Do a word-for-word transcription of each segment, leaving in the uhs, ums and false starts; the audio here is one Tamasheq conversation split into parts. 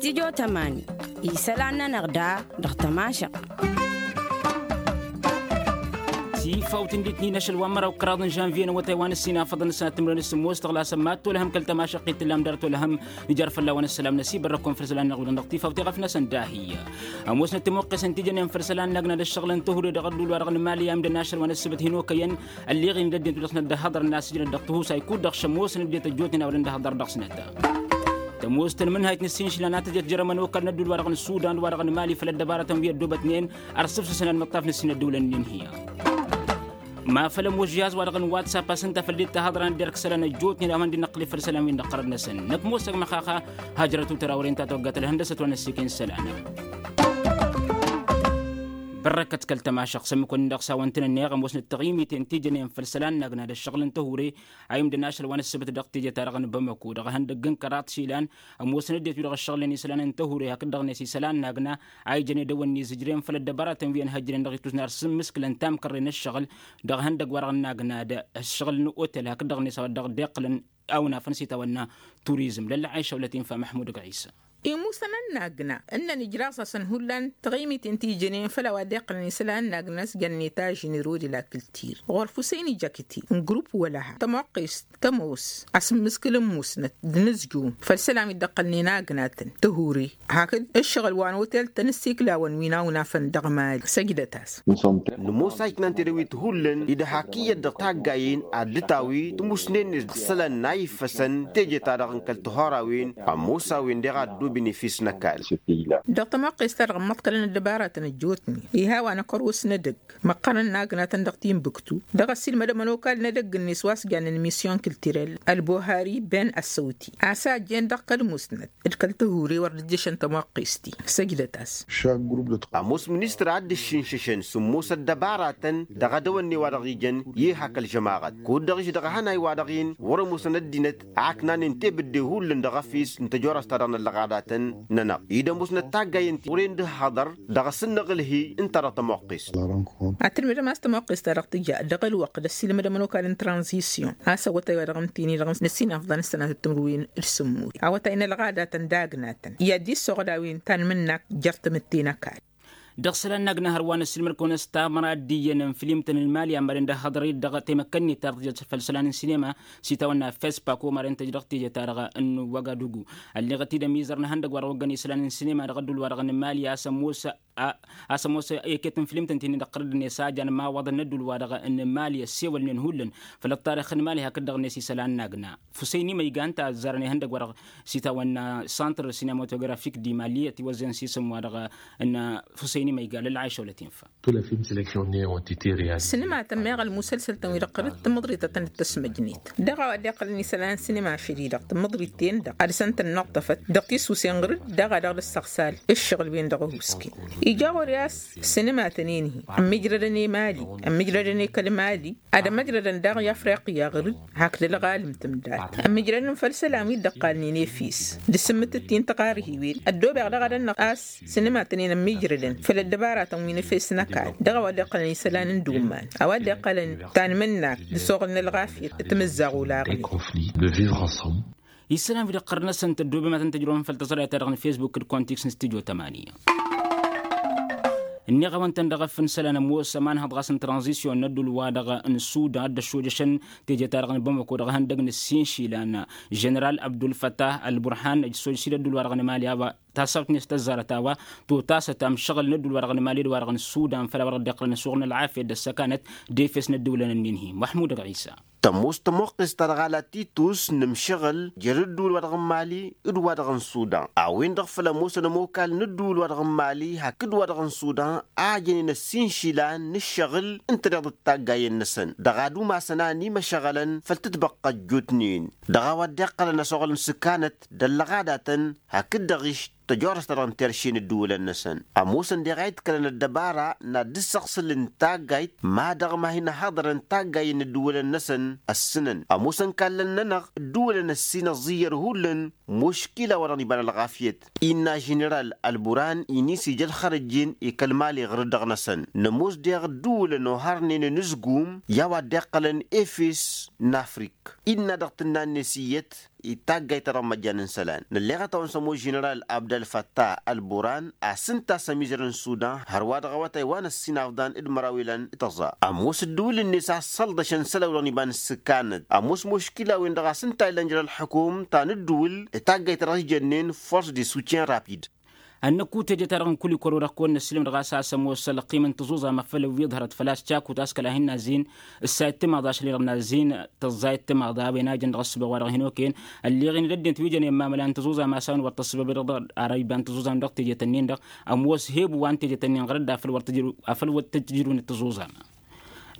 Tijo tămani isălan-nănăɣ da dăɣ-tămašăɣt. Tifawt n-ditnin ašăl wa n-măraw kăraḍ n-žănvye n-awătay wa n-ăssinafăḍăn s-ad-timrăwăn s-sǝmmos tăɣlasăm mad-tolăhăm kăl-tămašăɣt i-tǝllam dăr-tolăhăm. Nǝjar fălla-wen ăssălam n-asibărrăkun făll-isălan n-aɣwidăn dăɣ-tifawt i-ɣăf-năsăn dahiy. Ămoosnăt timăqqes n-tijănen făll-isălan n-agna d-ăššăɣǝl n-tăhudăy dăɣ-ădduul wa dăɣ-nǝmali a imdăn ašăl wa n-ăssăbăt hin-okăyăn. Ălleɣ-in d-ăddinăt wi dăɣ-snăt d-ăhhăḍăr n-asǝjnăt dăɣ-tihusay kud-dăɣ šămoosăn ăddinăt ăjjootnen a wăren d-ăhhăḍăr dăɣ-snăt. Tămoos tănmǝnhayt n-ǝssin išilan a tăjăt jer-ămănokal n-ădduul wa dăɣ-nǝssudan d-wa dăɣ-nǝmali făll-ăddăbarătăn wi ăddoobătnen. Ărṣǝfsǝsăn ălmăṭṭaf n-ǝssin ăddăwlăn-nin hi-a ma făl ămoos žihaz wa dăɣ-nǝwatsapp a-s ǝnta făl dd-tahăḍra n-dd-erk isălan ăjjootnen a-wen dd-năqqǝlǝf făll-isălan wi n-dăɣ-tărăd-năsăn năkk ămoosăg măxaxa. Hajrăt utăr a wăren ta tawăggat ălhăndăsăt wa n-ăssiken isălan. Bărrăkăt kăl-tămašăɣt s-ămmǝk-wăn-in dăɣ-s a-wăn tăn-ănneɣ ămoosnăt taɣimiten tijănen făll-isălan n-agna d-ăššăɣǝl n-tăhure a imdăn ašăl wa n-ăssăbăt dăɣ-teje-ta-dăɣ n-bamăko dăɣ-ihăndăgg n-kăraḍ išilan. Ămoosăn ăddinăt wi dăɣ-ǝššăɣǝlnen isălan n-tăhure hakd-dăɣ-net isălan n-agna a ijăn edăwănni zǝjren făll-ăddăbaratăn wi ănhăjjnen dăɣ-itwǝzna ar sǝmmǝskǝlăn tamkărre n-ăššăɣǝl. Dăɣ-ihăndăgg wa-dăɣ n-agna d-ăššăɣǝl n-otel hakd-dăɣ-net a-wa dăɣ-dd-iqqǝlăn awnafăn s-itawănna turizm lălla ɣayša wăla tinfa măḥmud ăgg ɣisa. Imusănăn n-agna ǝnnăn ijraẓ-asăn hullan taɣimiten ti ijănen făll-a-wa dd-iqqǝlăn isălan n-agna s-jănnet ažǝnero d-la kǝltir ɣur-fusăyni jakǝti n-grupp wăla ha tămoqqest tămoos asǝmmǝskǝl n-musnăt d-inǝzjum făll-isălan wi dd-ăqqălnen agnatăn tăhure hakd ǝššăɣǝl wa n-otel-tăn ǝssiklawăn wi n-awnafăn dăɣ-mali săjdăt-as. Nǝmoos a iknan tedăwit hullan idăh-ak iyyăt dăɣ-taggayen ad-dd-tawi tǝmusnen-net dăɣ-isălan n-a iffăsăn teje-ta-dăɣ n-kăl-tihărawen ămoos a-wen deɣ a ăddooben efes n-ăkall. Dăɣ-tămoqqes-ta-dăɣ ǝmmăḍkălăn ăddăbaratăn ăjjootnen iha wa n-akăros n-edăgg măqqărăn n-agnatăn dăɣ-timbuktu dăɣ-ăssiilmădăm ănokal n-edăgg-net wa s-jannen misyon kǝltirel ălbohari ben ăssăwti a-s a ăjjeen dăɣ-kăl-musnăt d-kăl-tăhur i-wăr dd-ǝjjăšăn tămoqqes-ti. Săjdăt-as. Ămoos ministăr a dd-ǝššǝnšăšăn sǝmmos ăddăbaratăn dăɣ-edăwănne wa dăɣ-ijăn i-ehak ălžămaɣăt kud-dăɣ išdăɣ ehănay-wa-dăɣ-in wăr-ămoosăn ăddinăt a ǝknanen tebǝdde hullan dăɣ-efes n-tăjorăst-ta-dăɣ n-ăllăɣadatăn-nănăɣ-i d-ămoosnăt taggayen ti wăren dd-hăḍăr dăɣ-asǝnnăɣǝlhi ǝnta dăɣ-tămoqqes. Ad-tǝlmǝdăm a-s tămoqqes-ta-dăɣ tǝja dăɣ-ălwăqq d-ăssiilmădăm ănokal n-tranzisyon a-s awătay wa dăɣ-nǝtini dăɣ-năssinafḍan s-sănatăt timǝrwen d-sǝmmut awătay n-ălɣadatăn d-agnatăn i-ad-dd-issăɣăl a-wen tanmǝnnakt jer-tamǝtte n-ăkall. Dăɣ-isălan n-agna hărwa n-ăssiilmăd-kăwăn s-tamăra d-iyyăn n-filimtăn n-mali a mărăn d-ăhhăḍăr-i-dd dăɣ-temăkka-net ta dăɣ-tijăt făll-isălan n-sinema s-itawănna fespak o mărăn tăj dăɣ-teje-ta-dăɣ n-wăgadugu. Ălleɣăt-dd ămizăr n-ihăndăgg wa dăɣ-oggăn isălan n-sinema dăɣ-ădduul-wa-dăɣ n-mali a-s ămoos a-s ămoos eket n-filimtăn ti-nin-dăɣ tărăd-net a jan imawaḍăn n-ădduul-wa-dăɣ n-mali ăssewălnen hullan făll-ăṭṭarix n-mali hakd-dăɣ-net isălan n-agna fusăyni măyga ǝnta a ăzzarăn ihăndăgg-wa-dăɣ s-itawănna santr sinematografik di mali ătiwăzzăn s-isǝm-wa-dăɣ n-fusăyni măyga lălɣayša wăla tinfa. Sǝnǝmatăn meɣ ălmusălsăl-tăn-wi-dăɣ tărăd tǝmmǝḍrit ad-tăn-dd-tăsmăjnet dăɣ-a-wa dd-iqqălăn isălan n-sinima ašăl-i-dăɣ tǝmmǝḍrit-ten-dăɣ ad-dăɣ-săn tănnuṭṭăfăt dăɣ-tisusen ɣǝr-dd daɣ a dăɣ-dd-ăssăɣsal ǝššăɣǝl-wen-dăɣ ăhuusken. Ija ɣur-i a-s sǝnǝmatăn-in-hi ămmijrădăn i-mali ămmijrădăn i-kăl-mali ad-ămmăjrădăn daɣ i-afriqya ɣǝr-dd hakd ălɣalǝm tǝmdat ămmijrădăn făll-isălan wi dd-ăqqalnen efis d-asǝmmǝtǝt-i n-tiɣarhiwen ăddoobeɣ daɣ ad-ănnăɣ a-s sǝnǝmatăn-in ămmijrădăn făll-ăddăbaratăn wi n-efes n-ăkall dăɣ-a-wa dd-iqqălăn isălan n-dumman a-wa dd-iqqălăn tanmǝnnakt d-asuɣǝl n-ălɣafyăt timǝzzaɣ olaɣnen. Isălan wi-dăɣ ɣărnăsăn tăddoobem ad-tăn-tăjrăwăm făll-tăẓrayăt-ta-dăɣ n-fesbuk d-kontiks n-stujo tămani. Ǝnniɣ-awăn-tăn dăɣ-efăn isălan ămoos ămanhăḍ ɣas n-tranzisyon n-ădduul-wa-dăɣ n-sudan dd-ăššojăšăn teje-ta-dăɣ n-bamako dăɣ-ihăndăg n-ǝssin išilan. Ženeral abdulfătah ălburhan ăjsooj s-dd-ădduul-wa-dăɣ n-emali a-wa tasawt-net tăzzarăt a-wa totasăt amšăɣǝl n-ădduul-wa-dăɣ n-emali d-wa-dăɣ n-sudan făll-a-wa dăɣ-dd-iqqălăn asuɣǝl n-ălɣafyăt d-ăssăkanăt d-efes n-ăddǝwǝlăn-ǝnnin-hi măḥmud ăgg ɣisa. Tămoos tămoqqest ta dăɣ-ala titus n-ǝmšăɣǝl jer-ǝddǝwǝl wa dăɣ-n mali d-wa dăɣ-n sudan a-wen-dăɣ făl ămoosăn ămokal n-ǝddǝwǝl wa dăɣ-n mali hakd wa dăɣ-n sudan a ăjănen ăssin išilan n-ǝššăɣǝl ǝnta-dăɣ d-taggayen-năsăn dăɣ-ad-umasăn a ănimăšăɣălăn făll-tǝtbăqqa ăjjootnen dăɣ-a-wa dd-iqqălăn ăsoɣăl n-sǝkkanăt d-ăllăɣadatăn hakd dăɣ-išt tăjorăst-ta-dăɣ n-terše n-ǝddǝwǝlăn-năsăn. Ămoosăn deɣ a itkălăn ăddăbara n-ad-dd-ǝssăɣsǝl n-taggayt ma dăɣ-ma hin-ăhaḍărăn taggayen n-ǝddǝwǝlăn-năsăn ăssǝnăn ămoosăn kallăn-nănăɣ ǝddǝwǝlăn ăssin ăẓẓiyyăr hullan muškila wa dăɣ-nǝba n-ălɣafyăt. Innă ženeral ălburan inis ija ălxărăjjen i-kăl-mali ɣǝr-dd dăɣ-năsăn nămoos deɣ ǝddǝwǝlăn ohărnen ănǝzgum i-a-wa dd-iqqălăn efes n-afrik. Innă dăɣ-tǝnna-net iyyăt i-taggayt-ta-dăɣ n-imăjjan n-isălan nălleɣăt-awăn s-ămoos ženeral abd-ălfăttah ălburan a-s ǝnta a-s ămizăr n-sudan hărwa dăɣ-awătay wa n-ăssinafḍan d-măraw ilan d-tăẓẓa. Ămoos ǝddǝwǝl-net a ăssălḍăšăn isălan-wi-dăɣ n-iba n-ǝssǝkkanăt ămoos muškila-wen-dăɣ a-s ǝnta a illan jer-ălḥǝkum ta n-ǝddǝwǝl i-taggayt-ta-dăɣ ijănnen force de soutien rapid. Ănnăkut teje-ta-dăɣ n-kulikor wa dăɣ-kăwăn-năssilăm dăɣ-a-s a-s ămoos ălqim n-tiẓuẓam a făl ǝwwiḍhărăt făl-a-s cakut a-s kăla hin-nazzin ǝssa ittimaḍ ašăl-i-dăɣ nazzin tăẓẓa ittimaḍ a-wen a jăn dăɣ-ǝssǝbăɣ wa dăɣ-hin-okăyăn. Ălleɣ-in d-ăddinăt wi jănen mamăla n-tiẓuẓam a-s a-wen wăr tăssăbăb-i-dăɣ arăyba n-tiẓuẓam dăɣ-tejet-nin-dăɣ ămoos hebu wa n-tejet-nin ɣărăt d-afăl wăr tǝjrǝw afăl wăr tǝjrǝw n-tiẓuẓam.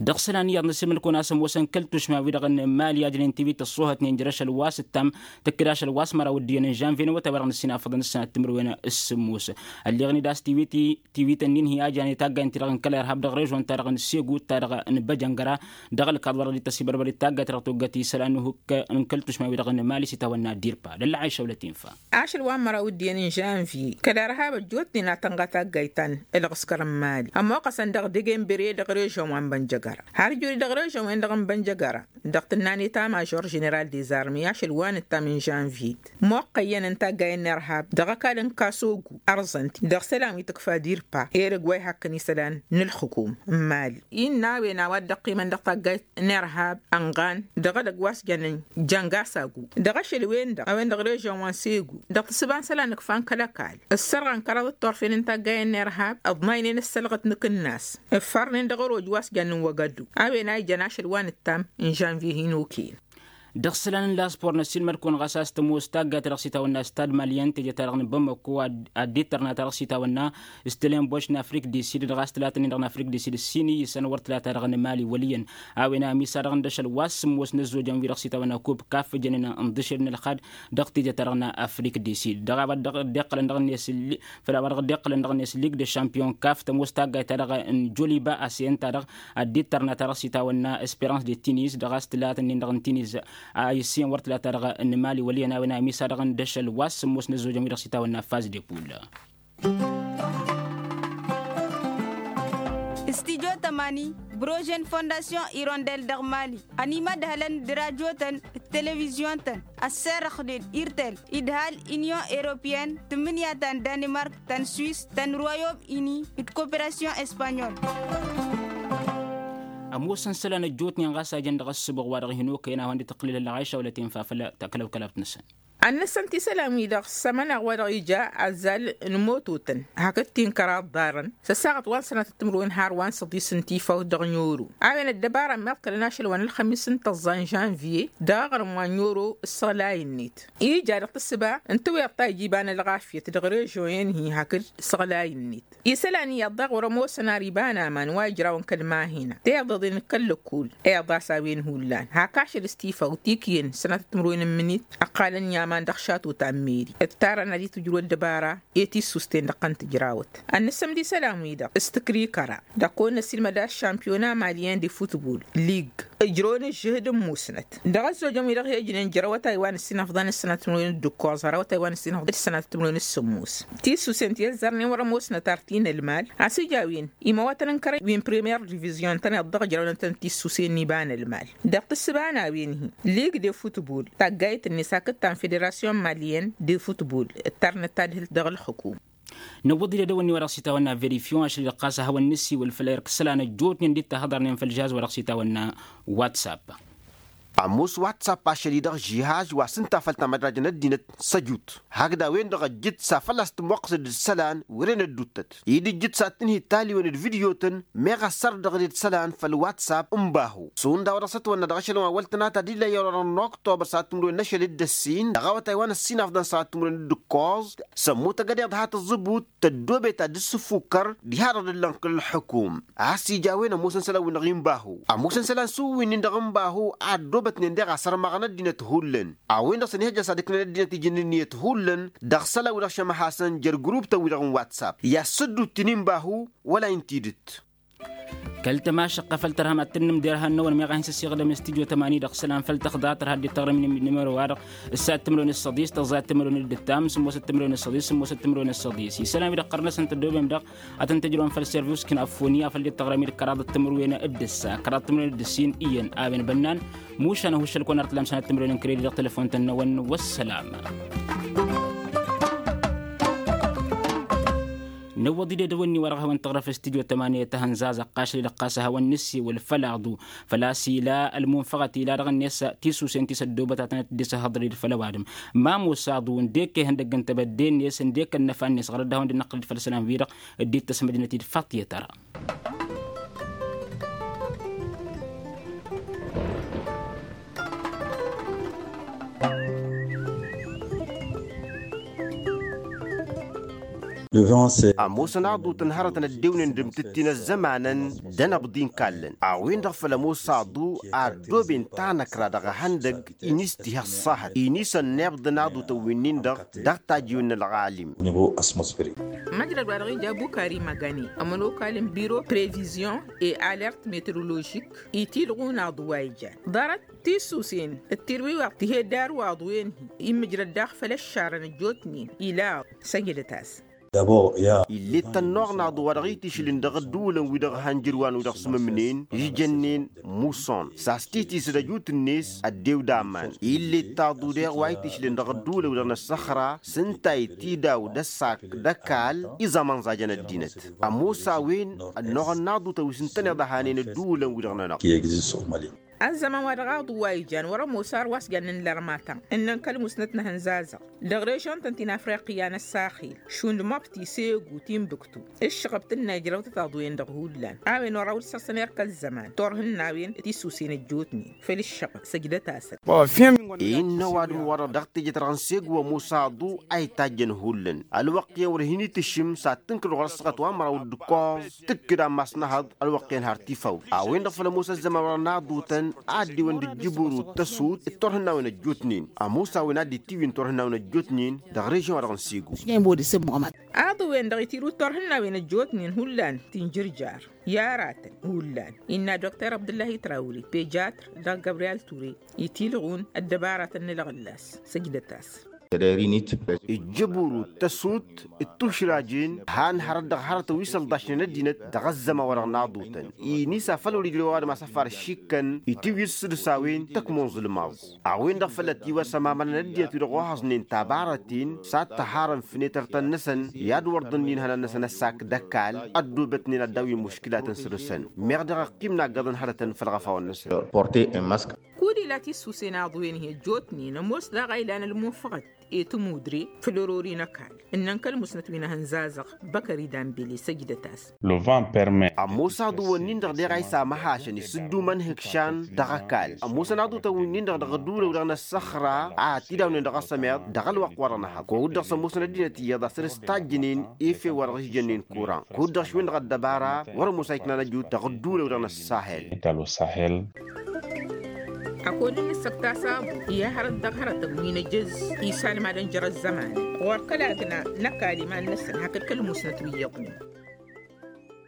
Dăɣ-isălan iyyăḍ n-asǝlmǝd-kăwăn a-s ămoosăn kăl-tušma-wi-dăɣ n-mali a jănen tiwit ăṣṣuhătnen jer-ašăl wa s-ǝttam tǝkkǝd ašăl wa s-măraw ăddinăn žănvye n-awătay wa dăɣ-năssinafăḍăn ǝssănat timǝrwen s-sǝmmos. Ălleɣăn-dd a-s tiwit-i tiwităn-in hi-a jănen taggayt-ti-dăɣ n-kăl-irhab dăɣ-režon-ta-dăɣ n-segu d-ta-dăɣ n-băjăngăra dăɣ-ălkaḍ wa dăɣ-dd-tăsibărbăr d-taggayt-ta-dăɣ toggăt isălan n-ihuk n-kăl-tušma-wi-dăɣ n-mali s-itawănna dirpa d-ăllăɣayša wăla tinfa. Ašăl wa n-măraw ǝddin n-žănvye kăl-irhab ăjjootnen a tănɣa taggayt ta n-ǝlɣǝskăr n-mali ămmoqqăsăn dăɣ-degembere dăɣ-režon wa n-bănjăgăra har ǝjuri dăɣ-režon-wen-dăɣ n-bănjăgăra. Dăɣ-tǝnna n-eta mažor ženeral dezarme ašăl wa n-ǝttam n-žănvye moqqăyyăn n-taggay n-irhab dăɣ-ăkall n-kasogu ărzăn-t dăɣ-isălan wi tǝkfa dirpa erăg wa ihakkăn isălan n-ǝlxǝkum n-mali. Innă a-wen a-wa dd-ăqqimăn dăɣ-taggayt n-irhab ănɣan dăɣ-edăgg wa s-jănnen jăngasagu dăɣ-ašăl-wen-dăɣ a-wen dăɣ-režon wa n-segu dăɣ-tǝssǝba n-isălan ǝkfan kăl-ăkall ǝssărɣăn kăraḍ d-turfen n-taggay n-irhab ǝḍmaynen ǝssălɣăt n-akǝnnas ǝffărnen dăɣ-ăroj wa s-jănnen wăgădu a-wen a ijăn ašăl wa n-ǝttam n-žănvye hin-okăyăn. Dăɣ-isălan n-laspor n-ăssiilmăd-kăwăn ɣas a-s tămoos taggayt-ta-dăɣ s-itawănna stad malyen teje-ta-dăɣ n-bamăkko ad-dd-ittărna ta-dăɣ s-itawănna stălen boš n-afrik di sid dăɣ-a-s tǝlatăn-in-dăɣ n-afrik di sid ǝssin iyyǝsăn wăr tǝla ta-dăɣ n-mali wăl' iyyăn. A-wen a ămisa dăɣ-n d-ašăl wa s-sǝmmos n-ăzzojăn wi-dăɣ s-itawănna kub kaf ǝjănen n-dăšel n-ălxad dăɣ-teje-ta-dăɣ n-afrik di sid dăɣ-a-wa dăɣ-dd-iqqălăn dăɣ-net făl a-wa dăɣ-dd-iqqălăn dăɣ-net lig de šampiyon kaf tămoos taggayt-ta-dăɣ n-joliba a s-e-ǝnta-dăɣ ad-dd-ittărna ta-dăɣ s-itawănna esperans de tinis dăɣ-a-s tǝlatăn-in-dăɣ n-tinis a issiyăn wăr tǝla ta-dăɣ n-mali wăl' iyyăn a-wen a ămisa dăɣ-n d-ašăl wa s-sǝmmos n-ăzzojăn wi-dăɣ s-itawănna faz de pul. Stijo tămani brožen fondasyon irondel dăɣ-mali ănimădhălăn d-rajotăn d-televizyon-tăn ăsserăxnen irtel idhal inyon eropyen tǝmmǝnǝya ta n-danimark ta n-swis ta n-royom ini d-koperasyon espanyol. Ămoosăn isălan ăjjootnen ɣas a jăn dăɣ-ăssǝbăɣ wa dăɣ-hin-okăyăn a hawăn-dd-tăqqǝlǝl ălɣayša wăla tinfa făll-takălăwkălabt-năsăn. Ad-nǝssăn ti isălan-wi-dăɣ s-amăneɣ wa dăɣ-ija azzal n-imototăn hakd ti n-kăraḍ ḍarăn s-ăssaɣăt wa n-sănatăt timǝrwen har wa n-săḍis n-tifawt dăɣ-n oro. A-wen ăddăbara ămmiḍkălăn ašăl wa n-ălxămis n-tăẓẓa n-žănvye dăɣ-aɣrǝm wa n-oro s-iɣlay-net ija dăɣ-tǝssǝba n-tǝwweḍ ta ija iba n-ălɣafyăt dăɣ-režyon-en-hi hakd s-iɣlay-net. Isălan iyyăḍ daɣ wăr-ămoosăn ar iba n-aman wa ijrawăn kăl-mahina teḍeḍen kăl-lăkkul. Iḍas a-wen hullan hak ašăl s-tifawt ikǝyăn sănatăt timǝrwen n-imǝnit ăqqalăn i-aman dăɣ-šato ta n-meri ǝttarăn ad-itǝjrǝw ăddăbara i-tissusten dăɣ-tăn-tǝjrawăt. Ad-nǝssǝmd isălan-wi-dăɣ s-tǝkrikăra dăɣ-kăwăn-năsilmăd a-s šampiyon amaliyen de futbol lig ǝjrăwăn ǝžžǝhǝd n-musnăt dăɣ-ăzzojăn-wi-dăɣ hi-ăjnen jăr awătay wa n-ǝssinăfḍăn d-sănatăt timǝrwen d-ǝkkoẓ har awătay wa n-ǝssinăfḍăn d-sănatăt timǝrwen d-sǝmmos. Tissusen ti ăzzărnen wăr-ămoosnăt ar ti n-ălmal a-s ija a-wen imawătăn n-kărăy wi n-premier divizyun tăn-iḍḍăɣ ǝjrăwnăt-tăn tissusen n-iba n-ălmal. Dăɣ-tǝssǝba n-a-wen-hi lig de futbol taggayt-net hakd ta n-federasyon malyen de futbol ǝttarnăt tadhǝlt dăɣ-ǝlxǝkum. Năwwăḍ-dd edăwănni wa dăɣ-s itawănna verifyon ašăl-i-dăɣ ɣas ad-hawăn-nǝssiwǝl făll-erk isălan ăjjootnen dd-tahǝḍărnen făll-žihaz wa dăɣ-s itawănna. Whatsapp. Ămoos whatsapp ašăl-i-dăɣ žihaz wa s-ǝnta făll-tamădrajăn ăddinăt săjut hakd a-wen-dăɣ ăjjǝt s-afăl a-s tǝmwăqqǝsăd d-isălan wăren ădduuttăt-i d-ǝjjǝt s-ad-tǝnhǝy taliwen d-vidyotăn meɣ ăssărăɣ dăɣ-ed isălan făll-whatsapp n-bahu. Šund a-wa dăɣ-s ătwănna dăɣ-ašăl wa n-wăl tănata d-ila i-orăr n-oktobăr s-ad-tǝmrǝwen n-ašăl d-ăssin dăɣ-awătay wa n-ăssinafḍăn s-ad-tǝmrǝwen d-ǝkkoẓ. Sămmutăgăd iḍha tǝẓẓǝbut tăddoobet ad-dd-sǝffukkăr diha-dăɣ d-ǝllăn kăl-ălxǝkum. A-s ija a-wen ămoosăn isălan-win-dăɣ i n-bahu ămoosăn isălan s-uwwin-in-dăɣ n-bahu a ăddoobătnen deɣ asărmăɣăn ăddinăt hullan. A-wen-dăɣ s-ănihăjja s-ad-ǝknan ăddinăt ijǝnnǝn iyyăt hullan dăɣ-isălan-wi-dăɣ šămăhasăn jer-guruptăn-wi-dăɣ n-whatsapp i-ad-sǝddut tini n-bahu wăla-in tidǝt. Kăl-tămašăqqă făll-tărham ad-tǝnnǝm derhan-năwăn meɣ a hin-săssiɣdăm s-tidyo tămani dăɣ-isălan făll-tăxḍa tărha dd-tăɣrămnim n-număro-wa-dăɣ s-ad-tǝmrăwen s-săḍis tăẓẓa ad-tǝmrăwen d-ǝttam sǝmmosăt tǝmrăwen s-săḍis sǝmmosăt tǝmrăwen s-săḍis isălan wi-dăɣ ɣărnăsăn tăddoobem-dăɣ ad-tăn-tǝjrăwăn făll-service kǝnafoni a făl dd-tăɣrămid kăraḍăt tǝmrăwen d-ǝssa kăraḍăt tǝmrăwen d-ǝssin iyyăn a-wen bănnan. Mušan ăhuššăl-kăwăn ar tǝllam sănat tǝmrăwen n-kredit dăɣ-telăfon-tăn-năwăn wăssălam. Năwwăḍ-dd edăwănni wa dăɣ-hawăn-tăɣrăf s-tidyo tămani ta hănzazăɣ ɣas dd-ăqqasăl-i-dăɣ ɣas a hawăn-nǝssi wăl făll-aḍu făl-a-s ila ălmunfăɣăt ila dăɣ-net tisusen ti s-ăddoobăt a tănăt-dd-isăhhăḍăr-dd făll-ăwadǝm. Ma mosa aḍu ǝndek ehăn dăgg-ǝnta bădde-net ǝndek ănnăfa-net ɣur-dd a hawăn-dd-năqqǝl-dd făll-isălan-wi-dăɣ dd-ittăsmăjnăt-dd faṭṭyăt ara. Ămoosăn aḍutăn hărătăn ăddewnen d-amtǝttin ăzzămanăn d-anăbḍi n-kallăn a-wen-dăɣ făl ămoos aḍu a ăddooben tanăkra dăɣ-ehăndăg. Inis tiha ăṣṣahăt inis ănniḍăn aḍutăn winnin-dăɣ dăɣ-tajjiwen n-ălɣalim. Măjrăd wa dăɣ-ija bukari măgani ămănokal n-biro previzyon e alert metroložik itilɣun aḍu wa ijan ḍarăt tisusen d-tirwiwaḍt tiheddar wa aḍu-en-hi immǝjrăd daɣ făll-ăššarăn ăjjootnen ila săjdăt-as. Ill'-e d-tănnuɣ n-aḍu wa dăɣ-itišǝlǝn dăɣ-ădduulăn-wi-dăɣ han jǝrwan-wi-dăɣ s-mămnen ižjănnen muson s-a-s titisăd ăjut-net ăddew d-aman. Ill'-e d-taḍu deɣ wa itišǝlǝn dăɣ-ădduulăn-wi-dăɣ n-ăssăxra s-ǝnta itidaw d-ăssak d-ăkall iẓamăn ẓajăn ăddinăt. Ămoos a-wen ănnuɣăn n-aḍutăn wi s-ǝntăneḍ ăhanen ădduulăn-wi-dăɣ-nănăɣ. Ăzzăman wa dăɣ-aḍu wa ijan wăr-ămoos ar wa s-jannen lărmatăn ǝnnăn kăl-musnăt n-ehăn zazăɣ dăɣ-režon-tăn ti n-afriqya n-ăssaxil šund măbti segu timbuktu. Ǝššăɣăb tǝnna ijrăwtăt aḍu-en-dăɣ hullan a-wen wăr-awǝl săr-săn erk ăzzăman turhǝnnawen tisusen ăjjootnen făll-ǝššăɣăb săjdăt-asăn. Innă ăwadǝm-wa-dăɣ dăɣ-teje-ta-dăɣ n-segu ămoos aḍu a itajjăn hullan ălwăqq-en wăr hin-itǝššǝm s-ad-tǝnkǝd ɣur-ăssaɣăt wa n-măraw d-ǝkkoẓ tǝkkǝd ammas n-ehăḍ. Ălwăqq-en har tifaw a-wen-dăɣ făl ămoos ăzzăman wa dăɣ-naḍutăn a ăddiwăn d-ǝjjǝburu d-tăsut d-turhǝnnawen ăjjootnen ămoos a-wen a dd-itiwǝyǝn turhǝnnawen ăjjootnen dăɣ-režyon-wa-dăɣ n-sego. Aḍu-wen-dăɣ itirǝw d-turhǝnnawen ăjjootnen hullan tinjǝrjar i-aratăn hullan innă dokter abdǝllahi trawri pejatr dăɣ-gabriyal ture itilɣun ăddăbaratăn n-ălɣǝllas. Săjdăt-as. Ǝjjǝburu d-tăsut d-tušrajen han hărăt dăɣ-hărătăn wi s-ălḍašnen ăddinăt dăɣ-ăzzăman wa dăɣ-naḍutăn. Inisa făl wăr-ijrew ăwadǝm a-s ăfar šikkăn itiwǝy s-sădǝsawen tăkmon zǝlmaẓ a-wen-dăɣ făl ătiwăsăm amănăn ăddinăt wi-dăɣ ohăẓnen tabarăten s-ad-tăharăn fenetăr-tăn-năsăn i-ad-wăr ḍǝnnin ihănan-năsăn ăssak d-ăkall. Ăddoobătnen ad-dawin muškǝlatăn săr-săn meɣ dăɣ-ăqqim n-aggăḍăn hărătăn făll-iɣăfawăn-năsăn. Kud-ila tisusen aḍu-en-hi ăjjootnen ămoos daɣ a ilan ălmunfăɣăt i-tămudre făll-orori n-ăkall ǝnnăn kăl-musnăt wi n-ehăn zazăɣ. Băkări dambele săjdăt-as. Ămoos aḍu-wǝnnin-dăɣ deɣ a isamăhašăn isǝddumăn ihǝkšan dăɣ-ăkall ămoosăn aḍutăn winnin-dăɣ dăɣ-ădduulăw-dăɣ n-ăssăxra a ătidawnen dăɣ-asămeḍ dăɣ-ălwăqq-wa-dăɣ n-ehăḍ kud-dăɣ s-ămoosăn ăddinăt iyyăḍ a săr-s tajjǝnen efew-wa-dăɣ s-jănnen kuran kud-dăɣ š-wen-dăɣ ăddăbara. Wăr-ămoos a iknan ăjut dăɣ-ădduulăw-dăɣ n-ăssahel. Ad-kăwăn-dd-nǝssăkt a-s aḍu i-hărăt dăɣ-hărătăn wi n-ejăz isalmadăn jer-ăzzăman ɣur-kăl agna n-ăkall iman-năsăn hakd kăl-musnăt wi iyyăḍnen.